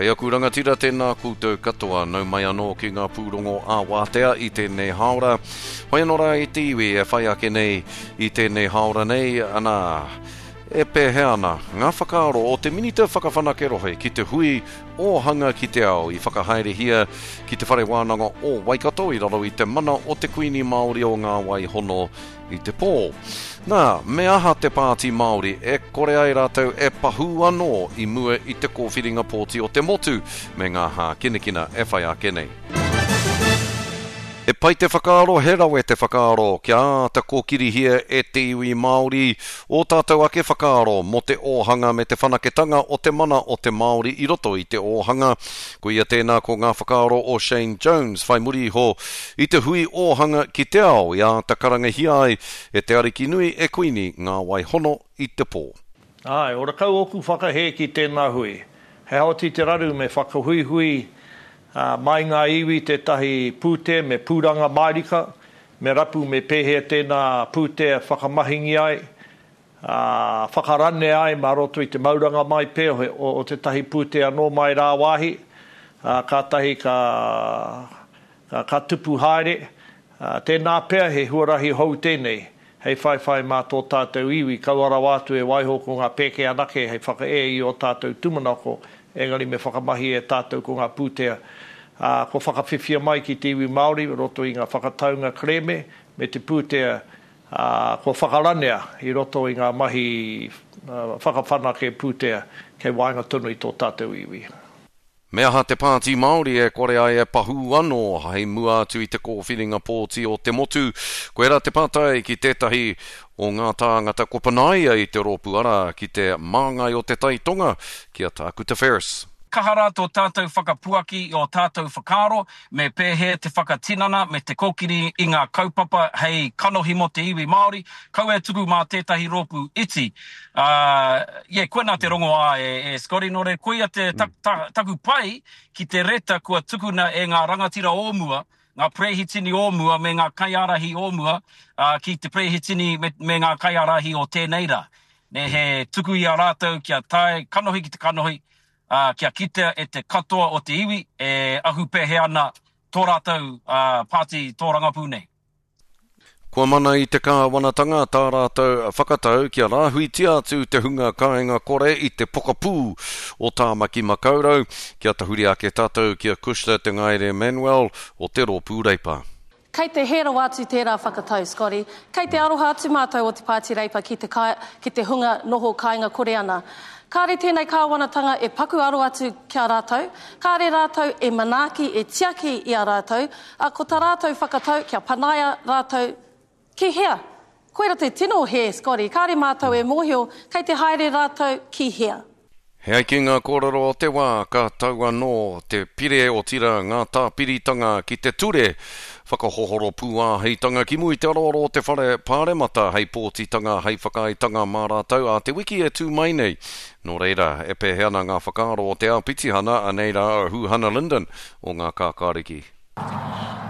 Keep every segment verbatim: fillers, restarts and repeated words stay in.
Kei aku rangatira tēnā koutou katoa, nau mai anō ki ngā pūrongo ā-wātea i tēnei hāora. Hoi anō rā e te iwi e whai ake nei i tēnei hāora nei, anā, e pēhea ana ngā whakaaro o te Minita Whakawhanake Rohe ki te hui ōhanga ki te ao i whakahaerehia ki te Whare Wānanga o Waikato i raro i te mana o te Kuini Māori o Ngā Wai Hono i te pō. Nā, me aha te Pāti Māori e kore ai rātou e pahū anō i mua i te kōwhiringa pōti o te motu me ngā hākinakina e whai ake nei. E pai te whakaaro, he rawe te whakaaro, kia āta kōkirihia e te iwi Māori ō tātou ake whakaaro mō te ōhanga me te whanaketanga o te mana o te Māori i roto i te ōhanga. Koia tēnā ko ngā whakaaro o Shane Jones whai muri iho i te hui ōhanga ki te ao i āta karangahia ai e te Arikinui e Kuini Ngā Wai Hono i te pō. Āe, ora kau ōku whakahē ki tēnā hui. He aha oti te raru me whakahuihui mai ngā iwi tētahi pūtea me pūranga mārika, me rapu me pēhea tēnā pūtea whakamahingi ai, ā, whakaranea ai mā roto i te mauranga mai pea o tētahi pūtea anō mai rāwāhi, ā, kātahi ka, ka, ka tupu haere. Ā, tēnā pea he huarahi hou tēnei hei whaiwhai mā tō tātou iwi, kaua rawa atu e waiho ko ngā pēke anake hei whakaea i ō tātou tūmanako, engari me whakamahi e tātou ko ngā pūtea, ā, kua whakawhiwhia mai ki te iwi Māori i roto i ngā whakataunga kerēme me te pūtea, ā, kua whakaranea i roto i ngā mahi whakawhanake pūtea kei waenga tonu i tō tātou iwi. Me aha te Pāti Māori e kore ai e pahū anō hei mua atu i te kōwhiringa pōti o te motu? Koirā te pātai ki tētahi o ngā tāngata kua panaia i te rōpū arā, ki te māngai o te Tai Tonga, ki a Tākuta Ferris. Kaha rā tō tātou whakapuaki i ō tātou whakaaro me pēhea te whakatinana me te kōkiri i ngā kaupapa hei kanohi mō te iwi Māori, kaua e tuku mā tētahi rōpū iti. Ā, yeah, koinā te rongoā e, e Scotty, nō reira, koia te ta, ta, taku pai ki te reta kua tukuna e ngā rangatira o mua, ngā perehitini o mua me ngā kaiārahi o mua, ā, ki te perehitini me, me ngā kaiārahi o tēnei rā. Nē, he tuku i a rātou kia tae kanohi ki te kanohi, ā, kia kitea e te katoa o te iwi e ahu pēhea ana tō rātou pāti tōrangapū nei. Kua mana i te kāwanatanga tā rātou whakatau kia rāhuitia atu te hunga kāinga kore i te pokapū o Tāmaki Makaurau, kia tahuri ake tātou ki a Cushla Te Ngaere Manuel o te Rōpū Reipa. Kei te hē rawa atu tērā whakatau, Scotty. Kei te aroha atu mātou o te Pāti Reipa ki te, ki te hunga noho kāinga kore ana. Kāre tēnei kāwanatanga e paku aro atu ki a rātou, kāre rātou e manaaki, e tiaki i a rātou, ā, ko tā rātou whakatau kia panaia rātou ki hea? Koira te tino hē, Scotty, kāre mātou e mōhio kei te haere rātou ki hea. He ai ki ngā kōrero o te wā, ka tau anō te pire otirā ngā tāpiritanga ki te ture whakahohoro pūāheitanga ki mua i te aroaro o te whare pāremata hei pōtitanga, hei whakaaetanga mā rātou ā te wiki e tū mai nei. Nō reira, e pēhea ana ngā whakaaro o te āpitihana, anei rā a Huhana Lyndon o Ngā Kākāriki.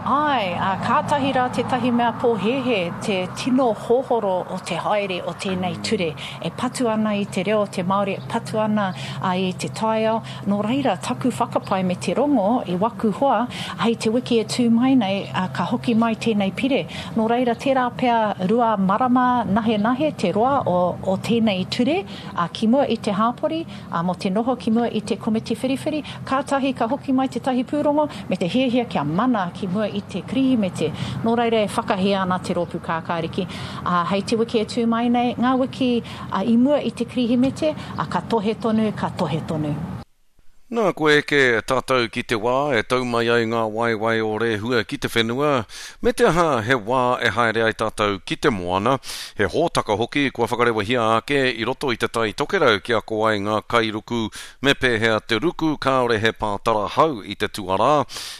Āe, ā, kātahi rā tētahi mea pōhēhē te tino hohoro o te haere o tēnei ture. E patu ana i te reo o te Māori, e patu ana i te taiao. Nō reira, taku whakapae me te rongo i waku hoa, hei te wiki e tū mai nei, ka hoki mai tēnei pire. Nō reira, tērā pea rua marama nahenahe te roa o, o tēnei ture, ā, ki mua i te hāpori, ā, mō te noho ki mua i te komiti whiriwhiri, kātahi ka hoki mai tētahi pūrongo me te hiahia kia mana ki mua i te Kirihimete. Nō reira e whakahē ana te Rōpū Kākāriki, ā, hei te wiki e tū mai nei, ngā wiki i mua i te Kirihimete, ā, ka tohe tonu, ka tohe tonu. Nā, kua eke tātou ki te wā e tau mai ai ngā waewae o Rehua ki te whenua, me te aha he wā e haere ai tātou ki te moana, he hōtaka hoki kua whakarewahia ake i roto i te Tai Tokerau kia ako ai ngā kairuku me pēhea te ruku kāore he pātara hau i te tuarā,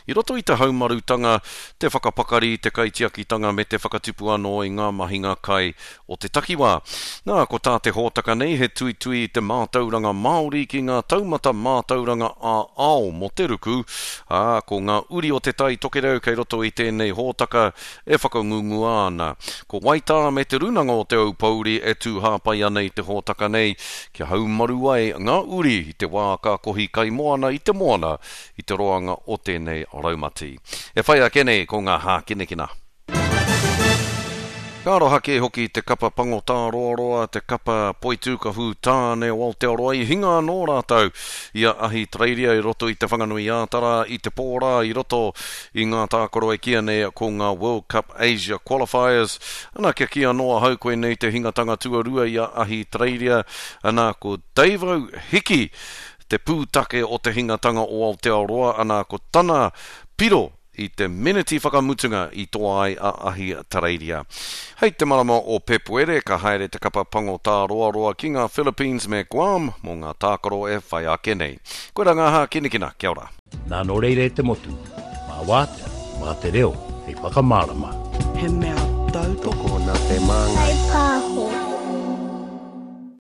i roto i te haumarutanga, te whakapakari, te kaitiakitanga me te whakatupu anō i ngā mahinga kai o te takiwā. Nā, ko tā te hōtaka nei he tuitui i te mātauranga Māori ki ngā taumata mātauranga tikanga ā-ao mō te ruku, ā, ko ngā uri o Te Tai Tokerau kei roto i tēnei hōtaka e whakangungua ana. Ko Waitā me Te Rūnanga o Te Aupōuri e tū hāpai ana i te hōtaka nei kia haumaru ai ngā uri i te wā ka kohi kaimoana i te moana i te roanga o tēnei raumati. E whai ake nei ko ngā hākinakina. Ka aroha kē hoki te kapa pango tāroaroa, te kapa poitūkahu tāne o Aotearoa i hinga anō rātou i a Ahitereiria i roto i Te Whanganui-ā-Tara i te pō rā i roto i ngā tākaro e kīia nei ko ngā World Cup Asia Qualifiers. Ana kia kī anō ahau koinei te hingatanga tuarua i a Ahitereiria, ana ko Davo Hiki te pūtake o te hingatanga o Aotearoa, ana ko tana piro i te meneti whakamutunga i toa ai a Ahitereiria. Hei te marama o Pepuere ka haere te kapa pango tāroaroa ki ngā Philippines me Guam mō ngā tākaro e whai ake nei. Koirā ngā hākinakina, kia ora. Nā nō reira e te motu, mā wātea, mā te reo hei whakamārama. He mea tautoko. Tokona te māngai. Whai pāho.